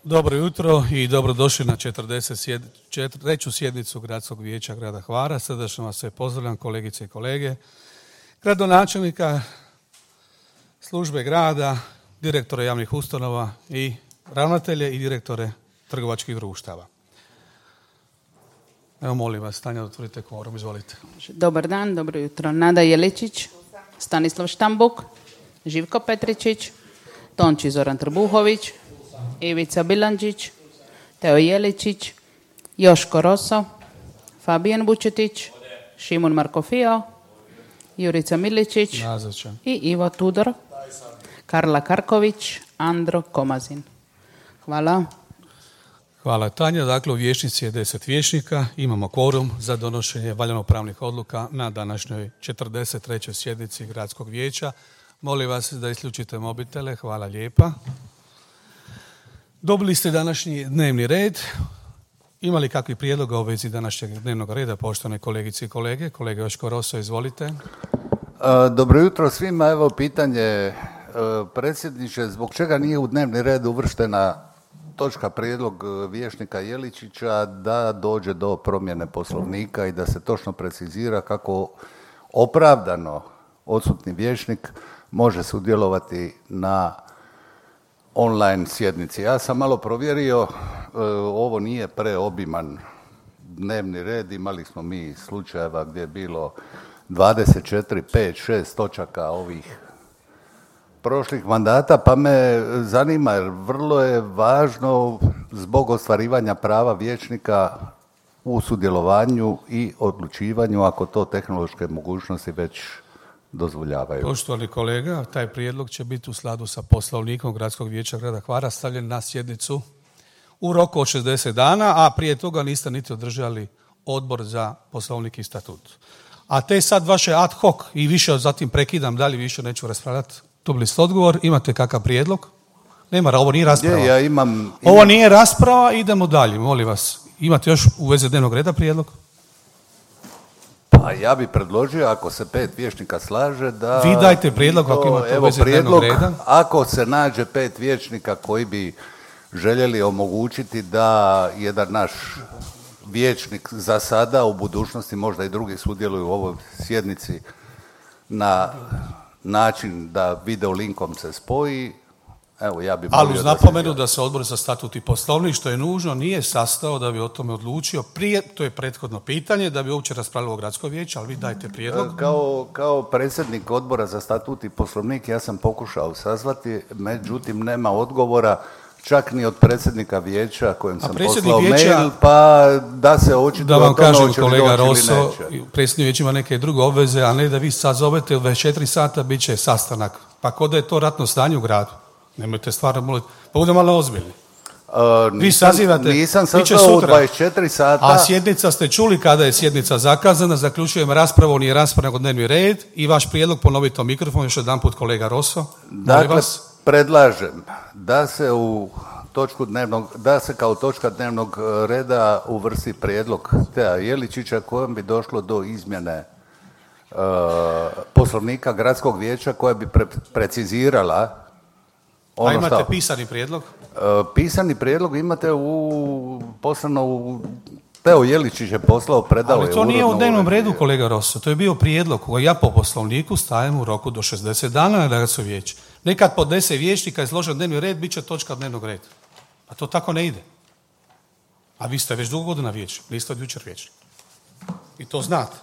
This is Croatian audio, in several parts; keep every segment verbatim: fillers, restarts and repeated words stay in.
Dobro jutro i dobrodošli na četrdeset treću sjednicu Gradskog vijeća grada Hvara. Srdačno vas sve pozdravljam, kolegice i kolege, gradonačelnika, službe grada, direktore javnih ustanova i ravnatelje i direktore trgovačkih društava. Evo, molim vas, Tanja, otvorite kvorum, izvolite. Dobar dan, dobro jutro. Nada Jeličić, Stanislav Štambuk, Živko Petričić, Tonči Zoran Trbuhović, Ivica Bilandžić, Teo Jeličić, Joško Roso, Fabijan Vučetić, Šimun Markofio, Jurica Miličić Nazočan. I Ivo Tudor, Karla Karković, Andro Komazin. Hvala. Hvala, Tanja. Dakle, u vijećnici je deset vijećnika. Imamo kvorum za donošenje valjanopravnih odluka na današnjoj četrdeset trećoj sjednici Gradskog vijeća. Molim vas da isključite mobitele. Hvala lijepa. Dobili ste današnji dnevni red. Ima li kakvi prijedloga u vezi današnjeg dnevnog reda, poštovane kolegice i kolege? Kolega Joško Roso, izvolite. Dobro jutro svima. Evo pitanje, predsjedniče, zbog čega nije u dnevni red uvrštena točka prijedlog vijećnika Jeličića da dođe do promjene Poslovnika i da se točno precizira kako opravdano odsutni vijećnik može sudjelovati na online sjednici. Ja sam malo provjerio, ovo nije preobiman dnevni red, imali smo mi slučajeva gdje je bilo dvadeset četiri, pet, šest točaka ovih prošlih mandata, pa me zanima jer vrlo je važno zbog ostvarivanja prava vijećnika u sudjelovanju i odlučivanju ako to tehnološke mogućnosti već dozvoljavaju. Poštovani kolega, taj prijedlog će biti u skladu sa Poslovnikom Gradskog vijeća grada Hvara stavljen na sjednicu u roku od šezdeset dana, a prije toga niste niti održali odbor za Poslovnik i statut. A te sad vaše ad hoc i više zatim prekidam, dalje više neću raspravljati. Dobili ste odgovor, imate kakav prijedlog? Nema, ovo nije rasprava. Je, ja imam, imam... Ovo nije rasprava, idemo dalje, molim vas. Imate još u vezi dnevnog reda prijedlog? Pa ja bi predložio, ako se pet vijećnika slaže, da... Vi dajte prijedlog ako imate u vezi dnevnog reda. Ako se nađe pet vijećnika koji bi željeli omogućiti da jedan naš vijećnik za sada, u budućnosti možda i drugi sudjeluju u ovoj sjednici na način da video linkom se spoji, evo ja bi... Ali uz napomenu da se odbor za statut i poslovnik, što je nužno, nije sastao da bi o tome odlučio prije, to je prethodno pitanje, da bi uopće raspravljalo Gradsko vijeće, ali vi dajte prijedlog. Kao, kao predsjednik odbora za statut i poslovnik ja sam pokušao sazvati, međutim nema odgovora čak ni od predsjednika vijeća kojem sam poslao vijeća, mail, pa da se očito da vam kažem, kolega Roso, predsjednik vijeća ima neke druge obveze, a ne da vi sad zovete u dvadeset četiri sata bit će sastanak. Pa kod da je to ratno stanje u gradu. Nemojte stvarno moliti. Pa budemo malo ozbiljni. Uh, nisam, vi sazivate, nisam sazvao u dvadeset četiri sata. A sjednica ste čuli kada je sjednica zakazana, zaključujem raspravu, nije rasprava nego dnevni red i vaš prijedlog, ponovite o mikrofon, još jedan put kolega Roso. Dakle, predlažem da se u točku dnevnog, da se kao točka dnevnog reda uvrsti prijedlog Tea Jeličića kojem bi došlo do izmjene uh, Poslovnika Gradskog vijeća koja bi pre, precizirala ono. A imate šta, pisani prijedlog? Uh, pisani prijedlog imate u poslano u Teo Jeličić je poslao, predao je. Ali to nije u dnevnom redu, kolega Rosso. To je bio prijedlog koji ja po Poslovniku stavim u roku do šezdeset dana na Gradsko vijeće. Nekad podnese vijećnika i složen dnevni red, bit će točka dnevnog reda. A to tako ne ide. A vi ste već dugo godina vijećnik, niste od jučer vijećnik. I to znate.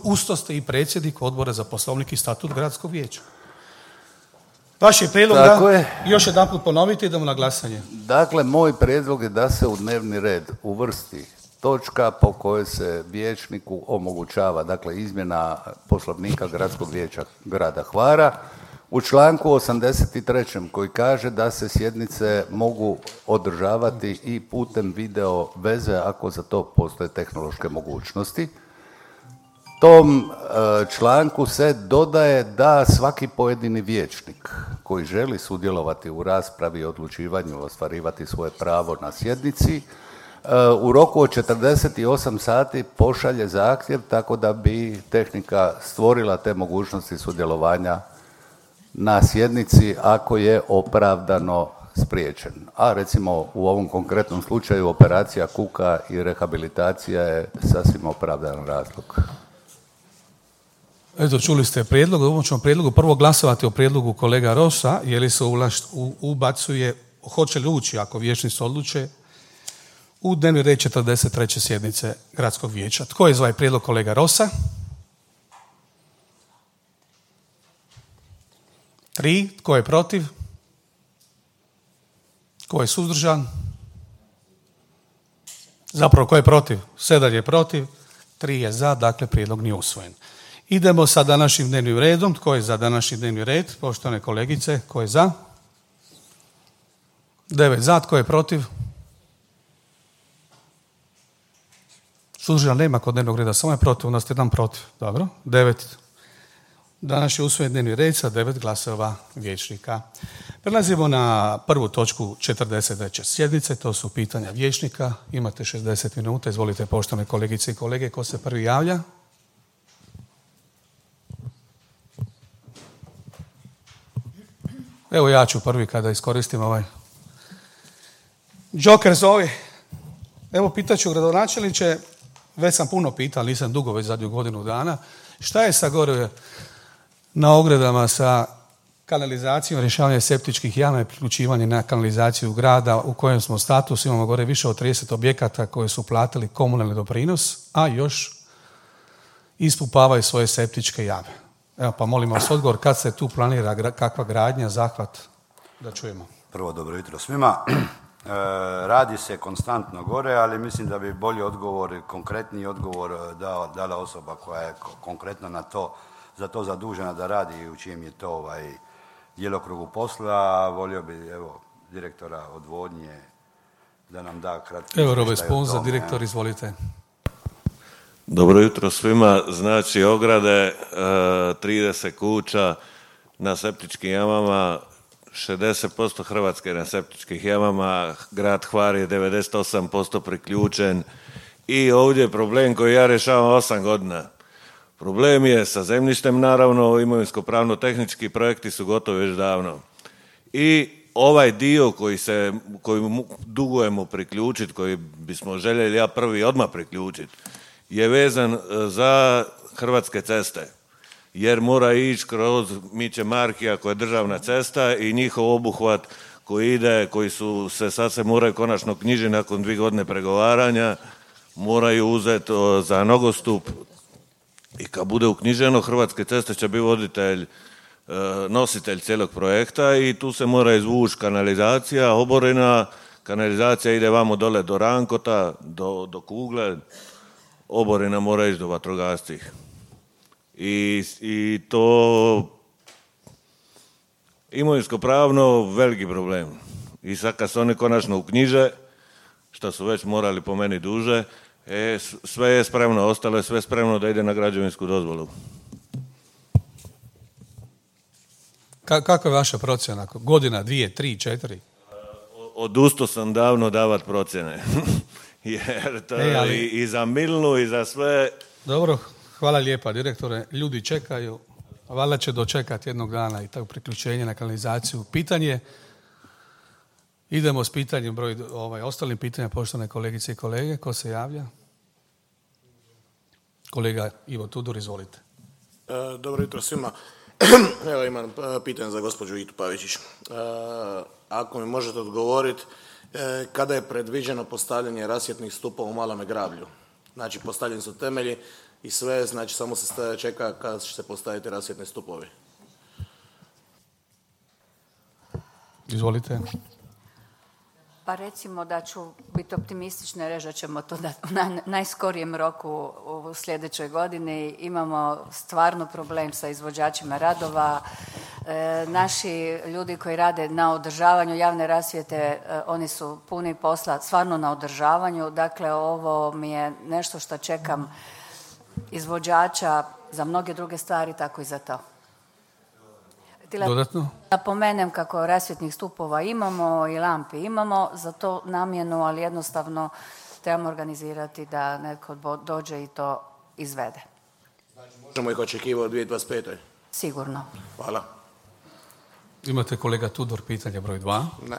Usto ste i predsjednik odbora za Poslovnik i statut Gradskog vijeća. Vaš je prijedlog da je. Još jedan put ponovite i idemo na glasanje. Dakle, moj prijedlog je da se u dnevni red uvrsti točka po kojoj se vijećniku omogućava, dakle, izmjena Poslovnika Gradskog vijeća grada Hvara u članku osamdeset trećem koji kaže da se sjednice mogu održavati i putem video veze ako za to postoje tehnološke mogućnosti. Tom članku se dodaje da svaki pojedini vijećnik koji želi sudjelovati u raspravi i odlučivanju, ostvarivati svoje pravo na sjednici, u roku od četrdeset osam sati pošalje zahtjev tako da bi tehnika stvorila te mogućnosti sudjelovanja na sjednici ako je opravdano spriječen. A recimo u ovom konkretnom slučaju operacija kuka i rehabilitacija je sasvim opravdan razlog. Eto, čuli ste prijedlog, u ovom ćemo prijedlogu prvo glasovati o prijedlogu kolega Rosa, je li se ulaš, u, ubacuje, hoće li ući ako vijećnici odluče u dnevni red četrdeset treće sjednice Gradskog vijeća. Tko je za ovaj prijedlog kolega Rosa? Tri. Tko je protiv? Tko je suzdržan? Zapravo, tko je protiv? Sedam je protiv, tri je za, dakle prijedlog nije usvojen. Idemo sa današnjim dnevnim redom. Tko je za današnji dnevni red? Poštovane kolegice, tko je za? Devet za, tko je protiv? Suzdržan nema kod dnevnog reda, samo je protiv, u nas je jedan protiv. Dobro, devet. Danas je usvojen dnevni red sa devet glasova vijećnika. Prelazimo na prvu točku četrdeset treće sjednice, to su pitanja vijećnika. Imate šezdeset minuta, izvolite poštovane kolegice i kolege, ko se prvi javlja? Evo ja ću prvi kada iskoristim ovaj Joker zovi. Evo pitaću gradonačelniče, već sam puno pitao, nisam dugo, već zadnju godinu dana, šta je sa gore na ogradama sa kanalizacijom, rješavanje septičkih jama i priključivanje na kanalizaciju grada u kojem smo statusu, imamo gore više od trideset objekata koji su platili komunalni doprinos, a još ispumpavaju svoje septičke jame. Evo pa molim vas odgovor, kad se tu planira kakva gradnja, zahvat, da čujemo. Prvo, dobro jutro svima. E, radi se konstantno gore, ali mislim da bi bolji odgovor, konkretniji odgovor dao, dala osoba koja je konkretno na to, za to zadužena da radi i u čijem je to ovaj, djelokrugu posla. Volio bi, evo, direktora odvodnje da nam da kratki... Evo, Robe Sponza, direktor, izvolite. Dobro jutro svima. Znači, ograde, trideset kuća na septičkim jamama, šezdeset posto Hrvatske na septičkih jamama, grad Hvar je devedeset osam posto priključen i ovdje je problem koji ja rješavam osam godina. Problem je sa zemljištem, naravno, imovinsko-pravno-tehnički projekti su gotovi već davno. I ovaj dio koji se, koji dugujemo priključiti, koji bismo željeli ja prvi odmah priključiti, je vezan za Hrvatske ceste. Jer mora ići kroz Miće Markija koja je državna cesta i njihov obuhvat koji ide, koji su se sad se moraju konačno knjižiti nakon dvije godine pregovaranja, moraju uzeti za nogostup i kad bude uknjiženo Hrvatske ceste će biti voditelj, nositelj cijelog projekta i tu se mora izvući kanalizacija, oborina, kanalizacija ide vamo dole do Rankota, do, do Kugle, oborina mora ići do vatrogascih. I, i to imovinsko-pravno veliki problem. I sad kad se oni konačno uknjiže, što su već morali po meni duže, e, sve je spremno, ostalo je sve spremno da ide na građevinsku dozvolu. Ka, kako je vaša procjena? Godina, dvije, tri, četiri? Odustao sam davno davat procjene. Jer to e, ali... i, i za Milnu i za sve... Dobro, hvala lijepa direktore. Ljudi čekaju, valjda će dočekati jednog dana i tako priključenje na kanalizaciju. Pitanje, idemo s pitanjem, broj, ovaj, ostalim pitanja, poštovane kolegice i kolege. Ko se javlja? Kolega Ivo Tudor, izvolite. E, dobro jutro svima. Evo imam pitanje za gospođu Itu Pavičić. E, ako mi možete odgovoriti, e, kada je predviđeno postavljanje rasvjetnih stupova u Malome Grablju? Znači, postavljeni su temelji i sve, znači samo se staje, čeka kada će se postaviti rasvjetni stupovi. Izvolite. Pa recimo da ću biti optimistična i reći da ćemo to da u naj, najskorijem roku u sljedećoj godini. Imamo stvarno problem sa izvođačima radova. E, naši ljudi koji rade na održavanju javne rasvjete, e, oni su puni posla stvarno na održavanju. Dakle, ovo mi je nešto što čekam izvođača za mnoge druge stvari, tako i za to. Dodatno? Napomenem kako rasvjetnih stupova imamo i lampi imamo za to namjenu, ali jednostavno trebamo organizirati da netko dođe i to izvede. Znači, možemo ih očekivati u dvije tisuće dvadeset pete. Sigurno. Hvala. Imate kolega Tudor pitanje broj dva? Ne.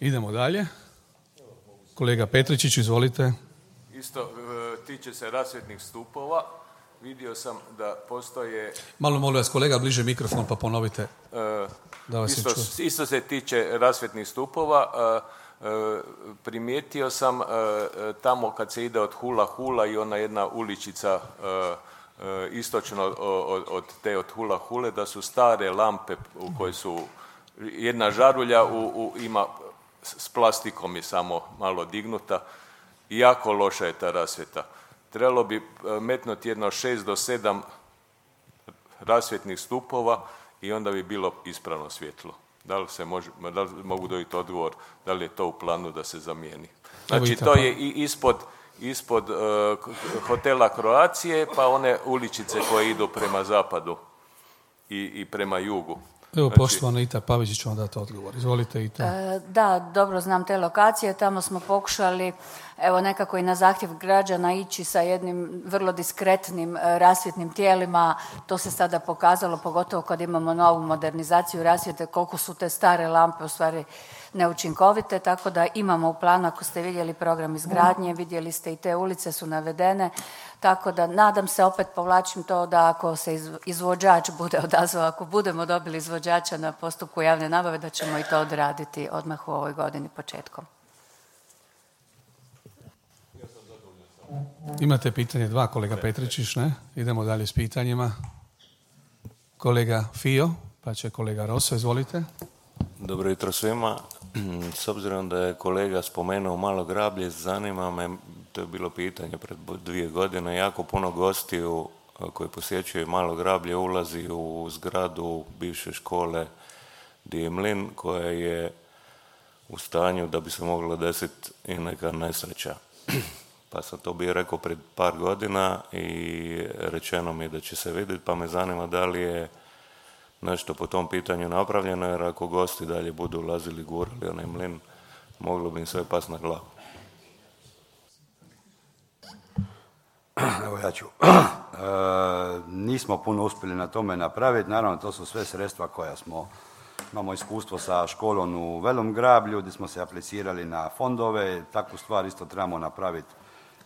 Idemo dalje. Kolega Petričić, izvolite. Isto tiče se rasvjetnih stupova. Vidio sam da postoje... Malo molim vas, kolega, bliže mikrofon pa ponovite. Da vas isto, se čuje. isto se tiče rasvjetnih stupova. Primijetio sam tamo kad se ide od Hula Hula i ona jedna uličica istočno od, od te od Hula Hule, da su stare lampe u koje su jedna žarulja u, u, ima s plastikom je samo malo dignuta i jako loša je ta rasvjeta. Trebalo bi metnuti jedno šest do sedam rasvjetnih stupova i onda bi bilo ispravno svjetlo. Da li se može, da li mogu dobiti odgovor, da li je to u planu da se zamijeni? Znači to je i ispod, ispod uh, hotela Kroacije, pa one uličice koje idu prema zapadu i, i prema jugu. Evo, znači, poštovana Ita Pavić će vam dati odgovor. Izvolite, Ita. E, da, dobro znam te lokacije. Tamo smo pokušali, evo nekako i na zahtjev građana ići sa jednim vrlo diskretnim e, rasvjetnim tijelima. To se sada pokazalo, pogotovo kad imamo novu modernizaciju rasvjete, koliko su te stare lampe u stvari neučinkovite, tako da imamo u planu, ako ste vidjeli program izgradnje, vidjeli ste i te ulice su navedene, tako da nadam se, opet povlačim to, da ako se izvođač bude odazvao, ako budemo dobili izvođača na postupku javne nabave, da ćemo i to odraditi odmah u ovoj godini početkom. Imate pitanje dva, kolega Petričić, ne? Idemo dalje s pitanjima. Kolega Fio, pa će kolega Rosso, izvolite. Dobro jutro svima. S obzirom da je kolega spomenuo Malo Grablje, zanima me, to je bilo pitanje pred dvije godine, jako puno gostiju koji posjećuju Malo Grablje ulazi u zgradu bivše škole di je mlin, koja je u stanju da bi se mogla desiti i neka nesreća. Pa sam to bio rekao pred par godina i rečeno mi je da će se vidjeti, pa me zanima da li je nešto po tom pitanju napravljeno, jer ako gosti dalje budu ulazili, gurali onaj mlin, moglo bi im sve pas na glavu. Evo ja ću. E, nismo puno uspjeli na tome napraviti, naravno to su sve sredstva koja smo, imamo iskustvo sa školom u Velom Grablju, gdje smo se aplicirali na fondove, takvu stvar isto trebamo napraviti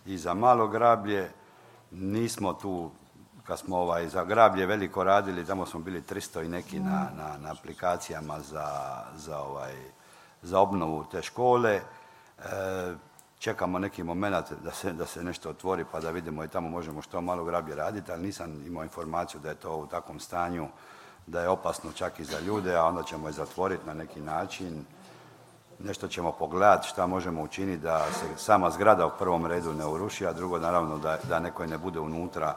i za Malo Grablje. Nismo tu, kad smo ovaj, za Grablje veliko radili, tamo smo bili tristo i neki na, na, na aplikacijama za, za, ovaj, za obnovu te škole. E, čekamo neki moment da se, da se nešto otvori pa da vidimo i tamo možemo što Malo Grablje raditi, ali nisam imao informaciju da je to u takvom stanju da je opasno čak i za ljude, a onda ćemo je zatvoriti na neki način. Nešto ćemo pogledati šta možemo učiniti da se sama zgrada u prvom redu ne uruši, a drugo naravno da, da neko ne bude unutra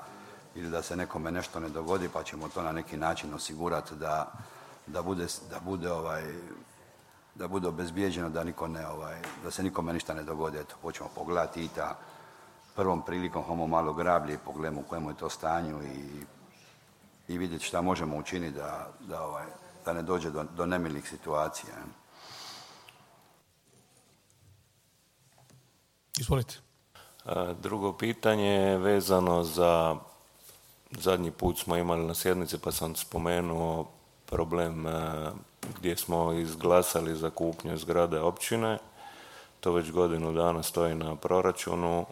ili da se nekome nešto ne dogodi, pa ćemo to na neki način osigurati da, da bude, da bude ovaj, da bude obezbijeđeno da niko ne, ovaj, da se nikome ništa ne dogodi. Eto, počnemo pogledati i ta prvom prilikom homo Malo Grablje i pogledamo u kojemu je to stanju i, i vidjeti šta možemo učiniti da, da, ovaj, da ne dođe do, do nemilih situacija. Izvolite. Drugo pitanje je vezano za, zadnji put smo imali na sjednici pa sam spomenuo problem gdje smo izglasali za kupnju zgrade općine. To već godinu dana stoji na proračunu.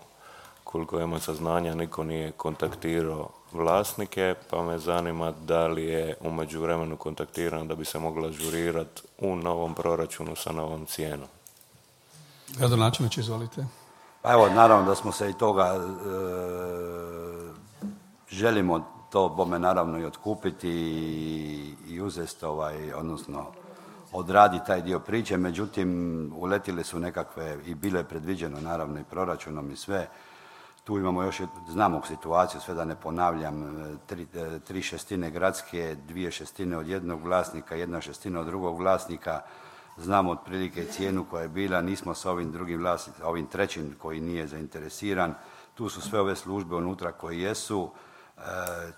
Koliko ima saznanja, niko nije kontaktirao vlasnike, pa me zanima da li je u međuvremenu kontaktiran da bi se mogla ažurirati u novom proračunu sa novom cijenom. Gradonačelniče, izvolite. Pa evo, naravno da smo se i toga e, želimo to bome naravno i otkupiti i, i uzeti ovaj, odnosno odradi taj dio priče, međutim uletile su nekakve i bilo je predviđeno naravno i proračunom i sve. Tu imamo još, znamo situaciju, sve da ne ponavljam, tri, tri šestine gradske, dvije šestine od jednog vlasnika, jedna šestina od drugog vlasnika. Znamo otprilike cijenu koja je bila, nismo sa ovim drugim vlasnicom, ovim trećim koji nije zainteresiran. Tu su sve ove službe unutra koje jesu. E,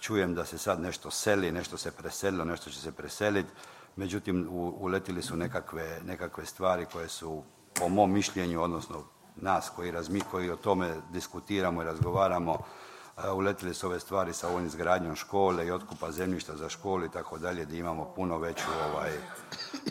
čujem da se sad nešto seli, nešto se preselilo, nešto će se preseliti. Međutim, u, uletili su nekakve, nekakve stvari koje su, po mom mišljenju, odnosno nas koji, razmi, koji o tome diskutiramo i razgovaramo, uletili su ove stvari sa ovom izgradnjom škole i otkupa zemljišta za školu i tako dalje, gdje imamo puno veću, ovaj,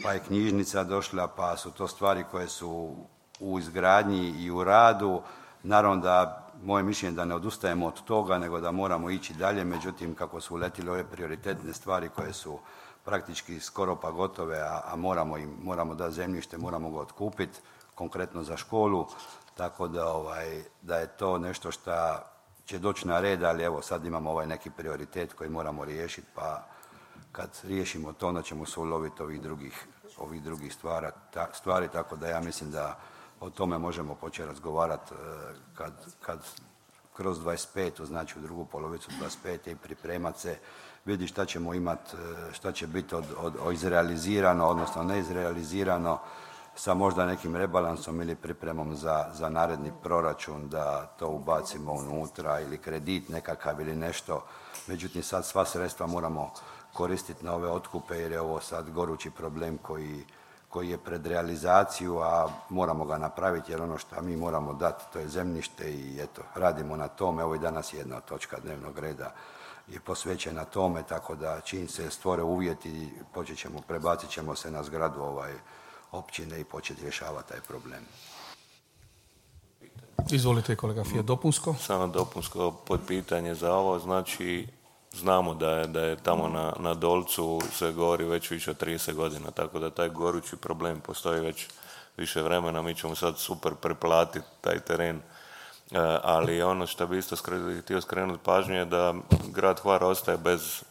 pa je knjižnica došla, pa su to stvari koje su u izgradnji i u radu. Naravno da moje mišljenje da ne odustajemo od toga, nego da moramo ići dalje, međutim kako su uletile ove prioritetne stvari koje su praktički skoro pa gotove, a, a moramo im, moramo da zemljište, moramo ga otkupiti, konkretno za školu, tako da, ovaj, da je to nešto što će doći na red, ali evo sad imamo ovaj neki prioritet koji moramo riješiti, pa kad riješimo to, onda ćemo se uloviti ovih drugih, ovih drugih stvara, ta, stvari, tako da ja mislim da o tome možemo početi razgovarati kad, kad kroz dvadeset petu, znači u drugu polovicu dvadeset pete i pripremati se, vidi šta ćemo imati, šta će biti od, od, od izrealizirano, odnosno neizrealizirano, sa možda nekim rebalansom ili pripremom za, za naredni proračun, da to ubacimo unutra, ili kredit nekakav ili nešto. Međutim, sad sva sredstva moramo koristiti na ove otkupe, jer je ovo sad gorući problem koji, koji je pred realizaciju, a moramo ga napraviti, jer ono što mi moramo dati, to je zemljište i eto, radimo na tome. Evo i danas jedna točka dnevnog reda je posvećena tome, tako da čim se stvore uvjeti, počet ćemo, prebacit ćemo se na zgradu ovaj, općine i početi rješavati taj problem. Izvolite kolega Fiat, dopunsko. Samo dopunsko podpitanje za ovo, znači znamo da je, da je tamo na, na Dolcu se gori već više od trideset godina, tako da taj gorući problem postoji već više vremena, mi ćemo sad super preplatiti taj teren, e, ali ono što bi isto skre, htio skrenuti pažnju je da grad Hvar ostaje bez,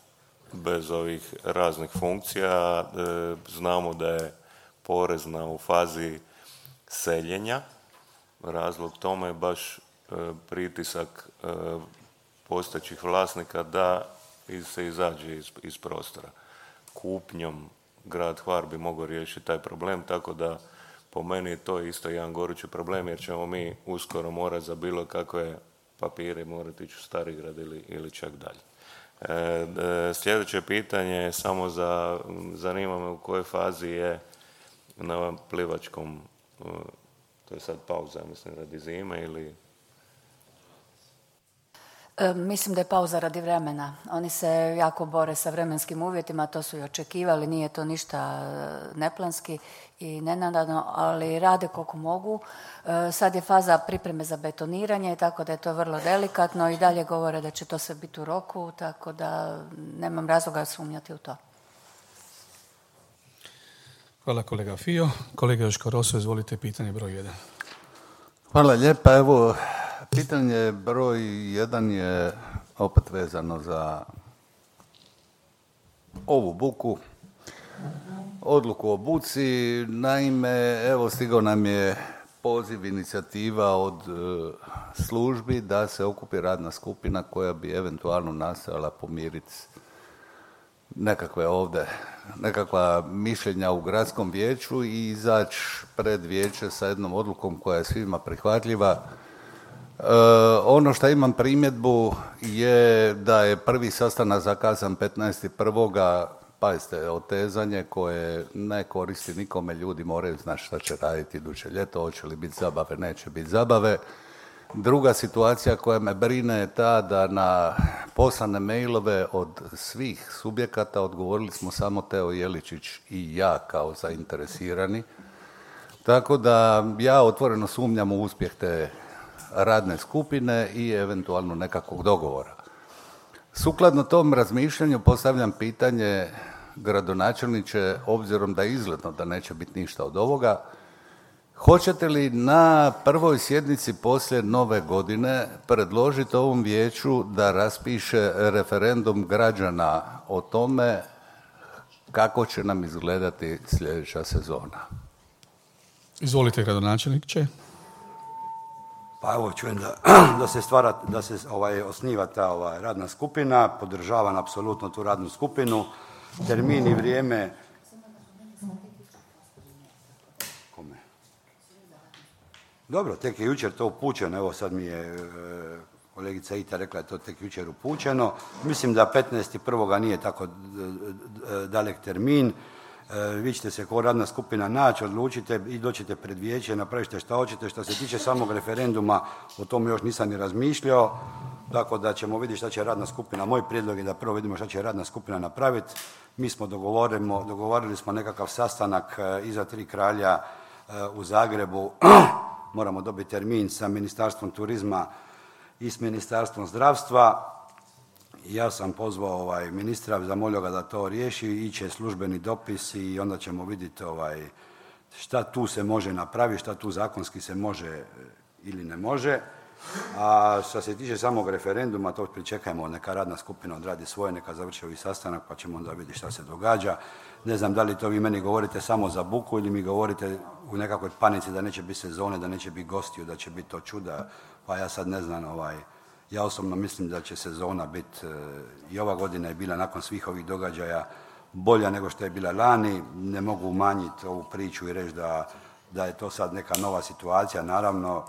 bez ovih raznih funkcija, e, znamo da je porezna u fazi seljenja. Razlog tome je baš e, pritisak e, postojećih vlasnika da se izađe iz, iz prostora. Kupnjom grad Hvar bi mogao riješiti taj problem, tako da po meni je to isto jedan gorući problem, jer ćemo mi uskoro morati za bilo kakve papire morati ići u Starigrad ili, ili čak dalje. E, e, sljedeće pitanje je samo za, zanima me u kojoj fazi je na plivačkom, to je sad pauza, mislim, radi zime ili... E, mislim da je pauza radi vremena. Oni se jako bore sa vremenskim uvjetima, to su i očekivali, nije to ništa neplanski i nenadano, ali rade koliko mogu. E, sad je faza pripreme za betoniranje, tako da je to vrlo delikatno i dalje govore da će to sve biti u roku, tako da nemam razloga sumnjati u to. Hvala kolega Fio. Kolega Joško Roso, izvolite pitanje broj jedan. Hvala lijepa. Evo, pitanje broj jedan je opet vezano za ovu buku, odluku o buci. Naime, evo stigao nam je poziv, inicijativa od e, službi da se okupi radna skupina koja bi eventualno nastojala pomiriti nekakve ovdje, nekakva mišljenja u gradskom vijeću i izaći pred vijeće sa jednom odlukom koja je svima prihvatljiva. E, ono što imam primjedbu je da je prvi sastanak zakazan petnaesti prvog Pazite, otezanje koje ne koristi nikome, ljudi moraju znati šta će raditi iduće ljeto, hoće li biti zabave, neće biti zabave. Druga situacija koja me brine je ta da na poslane mailove od svih subjekata odgovorili smo samo Teo Jeličić i ja kao zainteresirani. Tako da ja otvoreno sumnjam u uspjeh te radne skupine i eventualno nekakvog dogovora. Sukladno tom razmišljanju postavljam pitanje gradonačelniče, obzirom da je izgledno da neće biti ništa od ovoga, hoćete li na prvoj sjednici poslije nove godine predložiti ovom vijeću da raspiše referendum građana o tome kako će nam izgledati sljedeća sezona? Izvolite, gradonačelniče. Pa evo, čujem da, da se stvara, da se ovaj, osniva ta ovaj, radna skupina, podržavam apsolutno tu radnu skupinu, termin i vrijeme. Kome? Dobro, tek je jučer to upućeno, evo sad mi je e, kolegica Ita rekla je to tek jučer upućeno. Mislim da petnaesti prvog nije tako dalek termin. vi ćete se kao radna skupina naći, odlučite i doćete pred vijeće, napravite šta hoćete. Što se tiče samog referenduma, o tome još nisam ni razmišljao, tako da ćemo vidjeti šta će radna skupina. Moj prijedlog je da prvo vidimo šta će radna skupina napraviti. Mi smo dogovorimo, dogovorili smo nekakav sastanak iza Tri kralja u Zagrebu. Moramo dobiti termin sa Ministarstvom turizma i s Ministarstvom zdravstva. Ja sam pozvao ovaj, ministra, zamolio ga da to riješi, iće službeni dopis i onda ćemo vidjeti ovaj, šta tu se može napraviti, šta tu zakonski se može ili ne može. A što se tiče samog referenduma, to pričekajmo, neka radna skupina odradi svoje, neka završi ovi sastanak pa ćemo onda vidjeti šta se događa. Ne znam da li to vi meni govorite samo za buku ili mi govorite u nekakvoj panici da neće biti sezone, da neće biti gostiju, da će biti to čuda, pa ja sad ne znam, ovaj, ja osobno mislim da će sezona biti, i ova godina je bila nakon svih ovih događaja bolja nego što je bila lani. Ne mogu umanjiti ovu priču i reći da, da je to sad neka nova situacija. Naravno,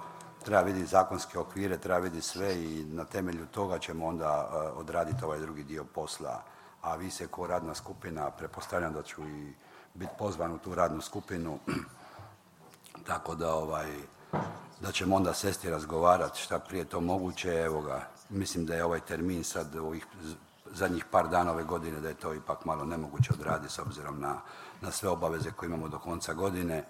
treba vidjeti zakonske okvire, treba vidjeti sve i na temelju toga ćemo onda uh, odraditi ovaj drugi dio posla. A vi se kao radna skupina, pretpostavljam da ću i biti pozvan u tu radnu skupinu, tako da ovaj, da ćemo onda sesti i razgovarati šta prije to moguće. Evo ga, mislim da je ovaj termin sad ovih zadnjih par dana ove godine da je to ipak malo nemoguće odraditi s obzirom na, na sve obaveze koje imamo do konca godine.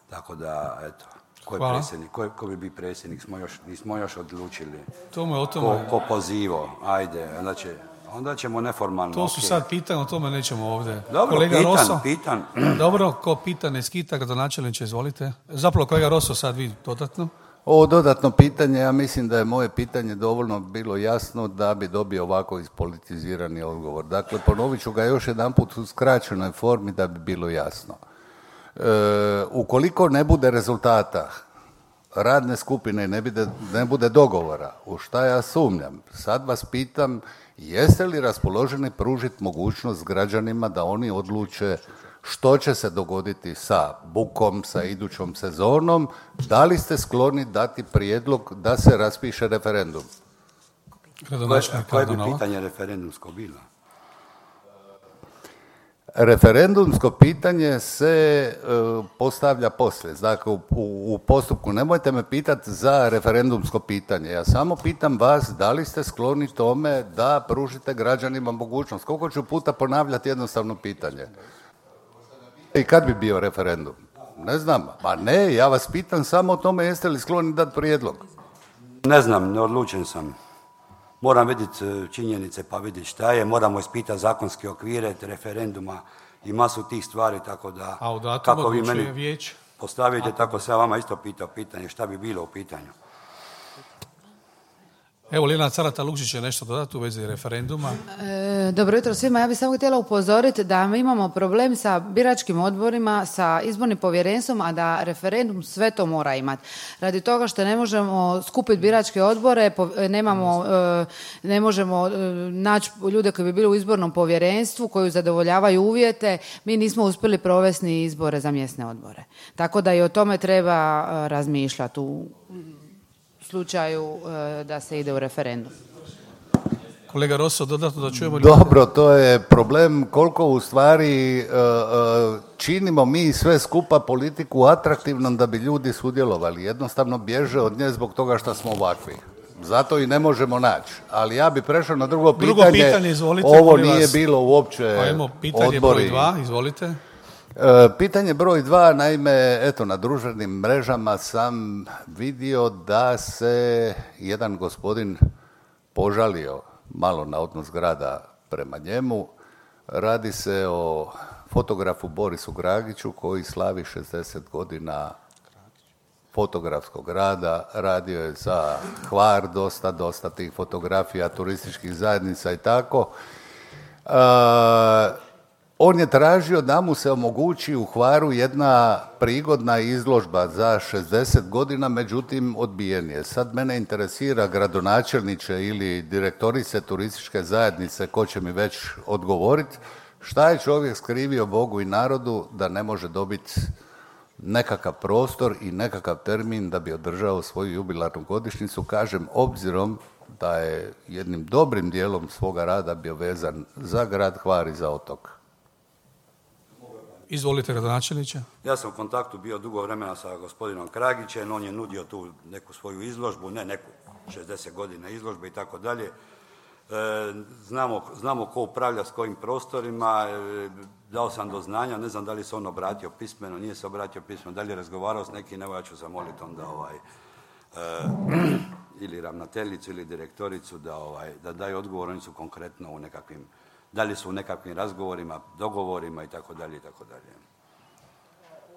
Tako da, eto, ko je predsjednik, ko, je, ko bi biti predsjednik, smo još, nismo još odlučili. Tome, o tome... Ko, ko pozivo, ajde, onda, će, onda ćemo neformalno... To su okay. sad pitanje, o tome nećemo ovdje. Dobro, kolega pitan, Rosso, pitan. Dobro, ko pita ne skita, gradonačelniče, izvolite. Zapravo, kolega Rosso, sad vi dodatno. Ovo dodatno pitanje, ja mislim da je moje pitanje dovoljno bilo jasno da bi dobio ovako ispolitizirani odgovor. Dakle, ponovit ću ga još jedanput u skraćenoj formi da bi bilo jasno. E, ukoliko ne bude rezultata radne skupine, ne bude, ne bude dogovora, u šta ja sumnjam, sad vas pitam, jeste li raspoloženi pružiti mogućnost građanima da oni odluče što će se dogoditi sa bukom, sa idućom sezonom, da li ste skloni dati prijedlog da se raspiše referendum? Koje, koje bi pitanje referendumsko bilo? Referendumsko pitanje se uh, postavlja poslije, dakle u, u, u postupku. Nemojte me pitati za referendumsko pitanje, ja samo pitam vas da li ste skloni tome da pružite građanima mogućnost. Koliko ću puta ponavljati jednostavno pitanje? I kad bi bio referendum? Ne znam. Pa ne, ja vas pitam samo o tome jeste li skloni dati prijedlog. Ne znam, neodlučen sam. Moram vidjeti činjenice pa vidjeti šta je. Moramo ispitati zakonske okvire, referenduma i masu tih stvari, tako da... A u datum kako vi meni vijeće? Postavite, tako se ja vama isto pitao pitanje. Šta bi bilo u pitanju? Evo, Ljiljana Carata Lukšić je nešto dodati u vezi referenduma. E, dobro jutro svima. Ja bih samo htjela upozoriti da mi imamo problem sa biračkim odborima, sa izbornim povjerenstvom, a da referendum sve to mora imati. Radi toga što ne možemo skupiti biračke odbore, nemamo, e, ne možemo e, naći ljude koji bi bili u izbornom povjerenstvu, koji zadovoljavaju uvjete, mi nismo uspjeli provesti ni izbore za mjesne odbore. Tako da i o tome treba e, razmišljati u slučaju e, da se ide u referendum. Kolega Rosso, dodatno da čujemo... Dobro, to je problem koliko u stvari e, e, činimo mi sve skupa politiku atraktivnom da bi ljudi sudjelovali. Jednostavno bježe od nje zbog toga što smo ovakvi. Zato i ne možemo naći. Ali ja bi prešao na drugo pitanje. Drugo pitanje, izvolite. Ovo nije vas. Bilo uopće Ajmo, pitanje odbori. broj dva, izvolite. E, pitanje broj dva, naime, eto, na društvenim mrežama sam vidio da se jedan gospodin požalio malo na odnos grada prema njemu. Radi se o fotografu Borisu Gragiću koji slavi šezdeset godina fotografskog rada. Radio je za Hvar dosta, dosta tih fotografija, turističkih zajednica i tako. E, On je tražio da mu se omogući u Hvaru jedna prigodna izložba za šezdeset godina, međutim odbijen je. Sad mene interesira gradonačelniče ili direktorice turističke zajednice, ko će mi već odgovoriti, šta je čovjek skrivio Bogu i narodu da ne može dobiti nekakav prostor i nekakav termin da bi održao svoju jubilarnu godišnjicu, kažem, obzirom da je jednim dobrim dijelom svoga rada bio vezan za grad Hvar i za otok. Izvolite, gradonačelniče. Ja sam u kontaktu bio dugo vremena sa gospodinom Kragićem, on je nudio tu neku svoju izložbu, ne neku šezdeset godina izložbe i tako dalje. Znamo, znamo ko upravlja s kojim prostorima, e, dao sam do znanja, ne znam da li se on obratio pismeno, nije se obratio pismeno, da li je razgovarao s nekim, evo ja ću zamoliti onda ovaj, e, ili ravnateljicu ili direktoricu da, ovaj, da daju odgovor, oni su konkretno u nekakvim, da li su u nekakvim razgovorima, dogovorima i tako dalje i tako dalje.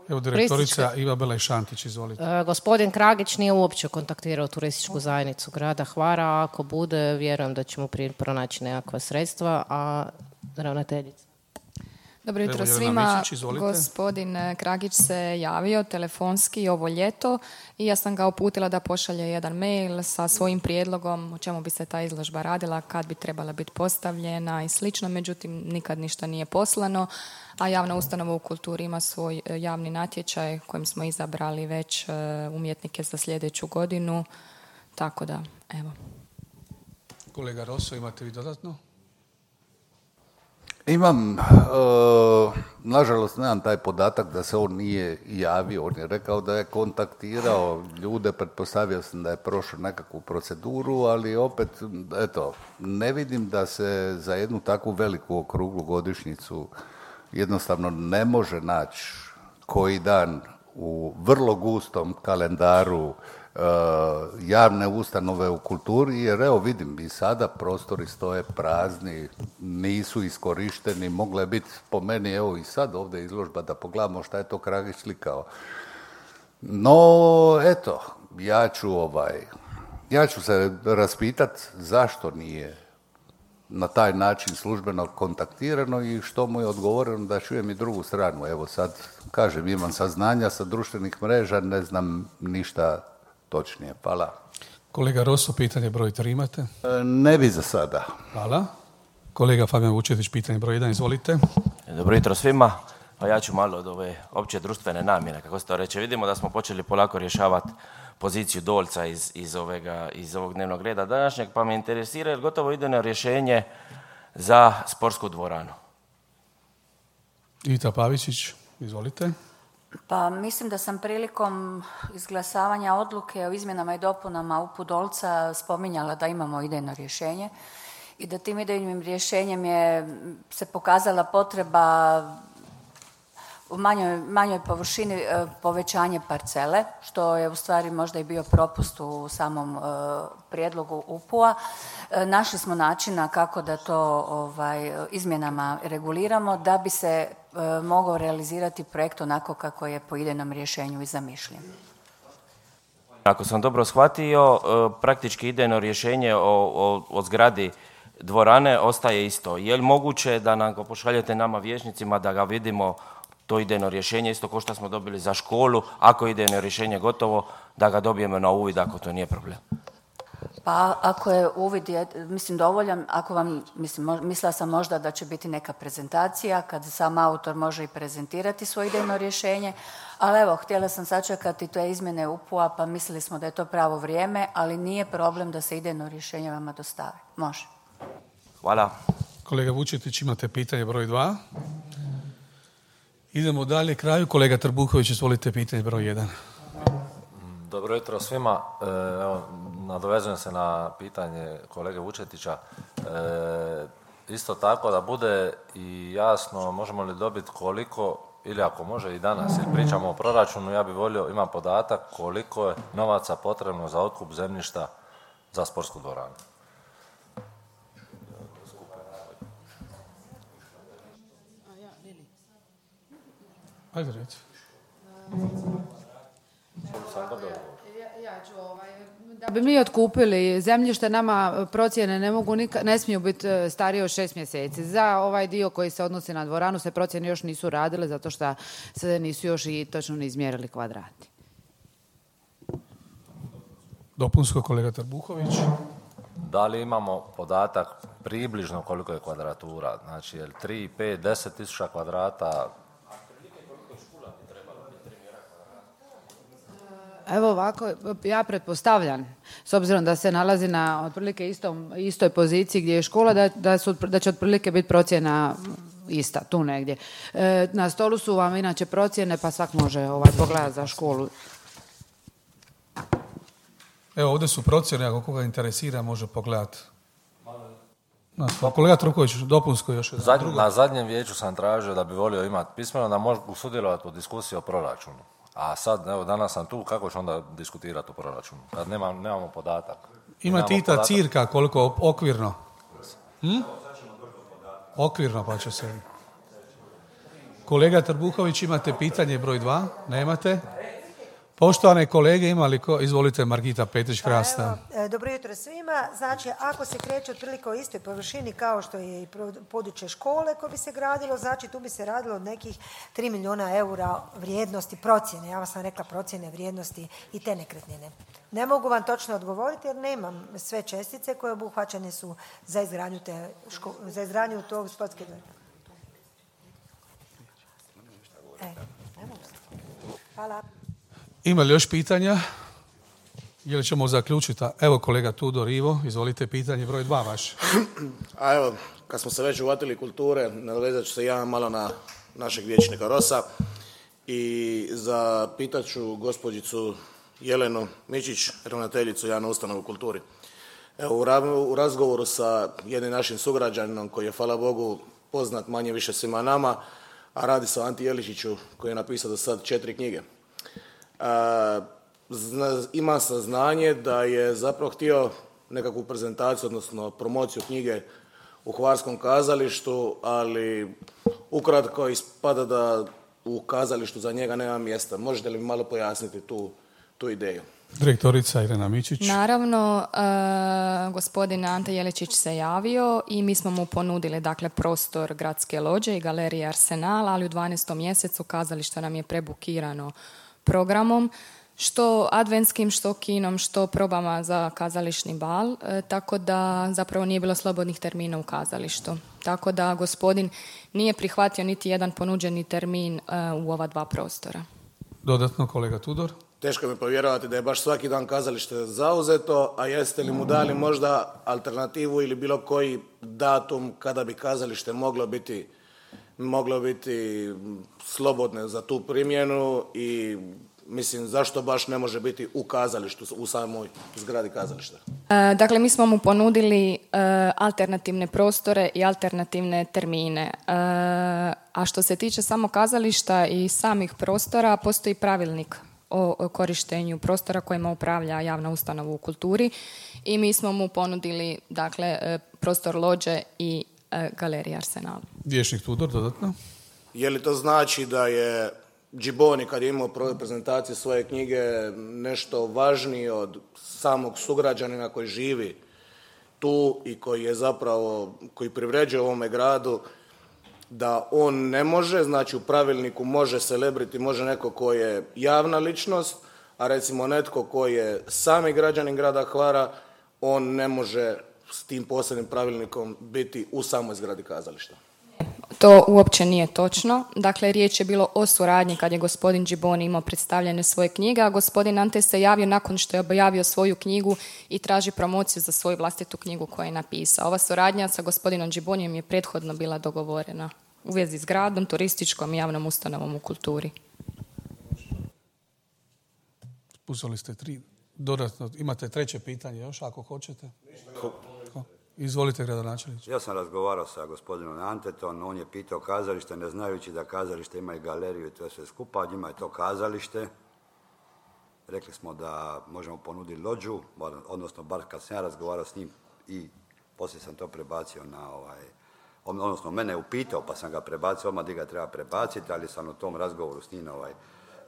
Evo direktorica Iva Belaj-Šantić, izvolite. E, gospodin Kragić nije uopće kontaktirao turističku zajednicu grada Hvara. Ako bude, vjerujem da ćemo prije pronaći nekakva sredstva, a ravnateljica. Dobro jutro svima. Gospodin Kragić se javio telefonski ovo ljeto i ja sam ga uputila da pošalje jedan mail sa svojim prijedlogom o čemu bi se ta izložba radila, kad bi trebala biti postavljena i slično. Međutim, nikad ništa nije poslano, a javna ustanova u kulturi ima svoj javni natječaj kojim smo izabrali već umjetnike za sljedeću godinu. Tako da, evo. Kolega Rosso, imate vi dodatno? Imam, e, nažalost nemam taj podatak da se on nije javio, on je rekao da je kontaktirao ljude, pretpostavio sam da je prošao nekakvu proceduru, ali opet, eto, ne vidim da se za jednu takvu veliku okruglu godišnjicu jednostavno ne može naći koji dan u vrlo gustom kalendaru Uh, javne ustanove u kulturi, jer evo vidim i sada prostori stoje prazni, nisu iskorišteni, mogla je biti po meni evo i sad ovdje izložba da pogledamo šta je to Kragić slikao. No, eto, ja ću ovaj, ja ću se raspitati zašto nije na taj način službeno kontaktirano i što mu je odgovoreno, da čujem i drugu stranu. Evo sad, kažem, imam saznanja sa društvenih mreža, ne znam ništa točnije. Hvala. Kolega Rosso, pitanje broj tri imate? E, ne bi za sada. Hvala. Kolega Fabijan Vučetić, pitanje broj jedan, izvolite. Dobro jutro svima. Pa ja ću malo od ove opće društvene namjene, kako se to reče. Vidimo da smo počeli polako rješavati poziciju Dolca iz, iz, ovega, iz ovog dnevnog reda današnjeg, pa me interesira jer gotovo ide na rješenje za sportsku dvoranu. Ita Pavičić, izvolite. Pa mislim da sam prilikom izglasavanja odluke o izmjenama i dopunama U P U Dolca spominjala da imamo idejno rješenje i da tim idejnim rješenjem je se pokazala potreba u manjoj, manjoj površini e, povećanje parcele, što je u stvari možda i bio propust u samom e, prijedlogu U P U-a. E, našli smo načina kako da to ovaj, izmjenama reguliramo da bi se e, mogao realizirati projekt onako kako je po idejnom rješenju i zamišljen. Ako sam dobro shvatio, e, praktički idejno rješenje o, o, o zgradi dvorane ostaje isto. Je li moguće da nam ga pošaljete nama vijećnicima da ga vidimo, to idejno rješenje, isto kao što smo dobili za školu, ako je idejno rješenje gotovo, da ga dobijemo na uvid, ako to nije problem? Pa ako je uvid, je, mislim, dovoljan, ako vam, mislim, mislila sam možda da će biti neka prezentacija, kad sam autor može i prezentirati svoje idejno rješenje, ali evo, htjela sam sačekati te izmjene U P U-a, pa mislili smo da je to pravo vrijeme, ali nije problem da se idejno rješenje vama dostave. Može. Hvala. Kolega Vučetić, imate pitanje broj dva. Idemo dalje, kraju. Kolega Trbuhović, izvolite pitanje broj jedan. Dobro jutro svima. Evo, nadovezujem se na pitanje kolege Vučetića. E, isto tako da bude i jasno, možemo li dobiti koliko, ili ako može i danas, ili pričamo o proračunu, ja bih volio, imam podatak koliko je novaca potrebno za otkup zemljišta za sportsku dvoranu. Ajde, reći. Da bi mi otkupili zemljište, nama procjene ne mogu nika, ne smiju biti starije od šest mjeseci. Za ovaj dio koji se odnosi na dvoranu se procjene još nisu radile zato što se nisu još i točno ni izmjerili kvadrati. Dopunsko, kolega Trbuhović. Da li imamo podatak približno koliko je kvadratura? Znači, je li tri, pet, deset tisuća kvadrata? Evo ovako, ja pretpostavljam, s obzirom da se nalazi na otprilike istom, istoj poziciji gdje je škola, da, da, su, da će otprilike biti procjena ista, tu negdje. E, na stolu su vam inače procjene, pa svak može ovaj, pogledati za školu. Evo, ovdje su procjene, ako koga interesira, može pogledati. Kolega Truković, dopunsko još jedan. Zadnj, na zadnjem vijeću sam tražio da bi volio imati pismeno da mogu sudjelovati u diskusiji o proračunu. A sad, evo, danas sam tu, kako ću onda diskutirati o proračunu? Kad nema, nemamo podatak. Ima Tita cirka koliko okvirno? Hm? Okvirno pa će se... Kolega Trbuhović, imate pitanje broj dva? Nemate? Poštovane kolege, imali ko... Izvolite, Margita Petrić-Krasna. Pa evo, dobro jutro svima. Znači, ako se kreće otprilike o istoj površini kao što je i područje škole koje bi se gradilo, znači tu bi se radilo od nekih tri milijuna eura vrijednosti procjene. Ja vam sam rekla procjene vrijednosti i te nekretnine. Ne mogu vam točno odgovoriti jer nemam sve čestice koje obuhvaćene su za izgradnju, te ško... za izgradnju tog sportske dvora. E, hvala. Ima li još pitanja? Ili ćemo zaključiti? Evo kolega Tudor Ivo, izvolite pitanje broj dva vaš. A evo, kad smo se već uvatili kulture, nadovezat ću se ja malo na našeg vijećnika Rosa i zapitat ću gospođicu Jelenu Mičić, ravnateljicu javne ustanove u kulturi. Evo, u razgovoru sa jednim našim sugrađaninom koji je, hvala Bogu, poznat manje više svima nama, a radi se o Anti Jeličiću koji je napisao do sad četiri knjige. A, zna, ima saznanje da je zapravo htio nekakvu prezentaciju, odnosno promociju knjige u Hvarskom kazalištu, ali ukratko ispada da u kazalištu za njega nema mjesta. Možete li mi malo pojasniti tu, tu ideju? Direktorica Irena Mičić. Naravno, e, gospodin Ante Jeličić se javio i mi smo mu ponudili dakle, prostor Gradske lođe i galerije Arsenal, ali u dvanaestom mjesecu kazalište nam je prebukirano programom, što adventskim, što kinom, što probama za kazališni bal, e, tako da zapravo nije bilo slobodnih termina u kazalištu. Tako da gospodin nije prihvatio niti jedan ponuđeni termin e, u ova dva prostora. Dodatno, kolega Tudor. Teško mi povjerovati da je baš svaki dan kazalište zauzeto, a jeste li mu dali možda alternativu ili bilo koji datum kada bi kazalište moglo biti, moglo biti slobodno za tu primjenu i mislim zašto baš ne može biti u kazalištu, u samoj zgradi kazališta? E, dakle, mi smo mu ponudili e, alternativne prostore i alternativne termine. E, a što se tiče samo kazališta i samih prostora, postoji pravilnik o korištenju prostora kojima upravlja javna ustanova u kulturi i mi smo mu ponudili dakle, prostor lođe i e, galerija Arsenal. Vijećnik Tudor, dodatno. Je li to znači da je Džiboni kad je imao prezentaciju svoje knjige nešto važniji od samog sugrađanina koji živi tu i koji je zapravo, koji privređuje ovome gradu, da on ne može, znači u pravilniku može celebrity, može neko ko je javna ličnost, a recimo netko ko je sami građanin grada Hvara, on ne može s tim posebnim pravilnikom biti u samoj zgradi kazališta. To uopće nije točno. Dakle, riječ je bilo o suradnji kad je gospodin Džiboni imao predstavljene svoje knjige, a gospodin Ante se javio nakon što je objavio svoju knjigu i traži promociju za svoju vlastitu knjigu koju je napisao. Ova suradnja sa gospodinom Džibonijem je prethodno bila dogovorena u vezi s gradom, turističkom i javnom ustanovom u kulturi. Uzeli ste tri. Dodatno, imate treće pitanje još, ako hoćete? Izvolite, gradonačelniče. Ja sam razgovarao sa gospodinom Antetom, on je pitao kazalište, ne znajući da kazalište ima i galeriju i to sve skupa, njima je to kazalište. Rekli smo da možemo ponuditi lođu, odnosno bar kad sam ja razgovarao s njim i poslije sam to prebacio na ovaj, odnosno mene je upitao pa sam ga prebacio, odmah gdje ga treba prebaciti, ali sam u tom razgovoru s njim ovaj,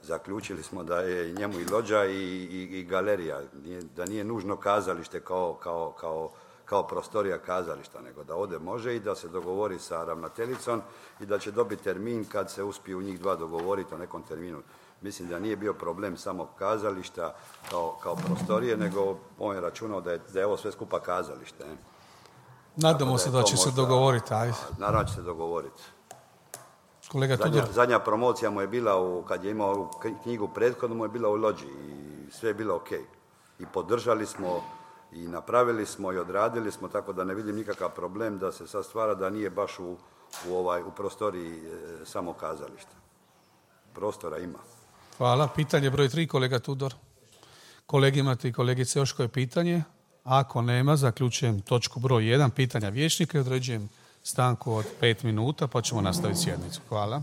zaključili smo da je njemu i lođa i, i, i galerija, da nije nužno kazalište kao, kao, kao kao prostorija kazališta, nego da ode može i da se dogovori sa ravnateljicom i da će dobiti termin kad se uspiju njih dva dogovoriti o nekom terminu. Mislim da nije bio problem samo kazališta kao, kao prostorije, nego on je računao da je, da je ovo sve skupa kazalište. Ne? Nadamo se da, da će možda, se dogovoriti. Aj. Naravno će se dogovoriti. Kolega zadnja, zadnja promocija mu je bila, u, kad je imao knjigu prethodno, mu je bila u lođi i sve je bilo ok. I podržali smo i napravili smo i odradili smo, tako da ne vidim nikakav problem da se sad stvara da nije baš u, u, ovaj, u prostoriji e, samog kazališta. Prostora ima. Hvala. Pitanje broj tri, kolega Tudor. Kolegi imate i kolegice još koje pitanje? Ako nema, zaključujem točku broj jedan, pitanja vijećnika i određujem stanku od pet minuta, pa ćemo nastaviti sjednicu. Hvala.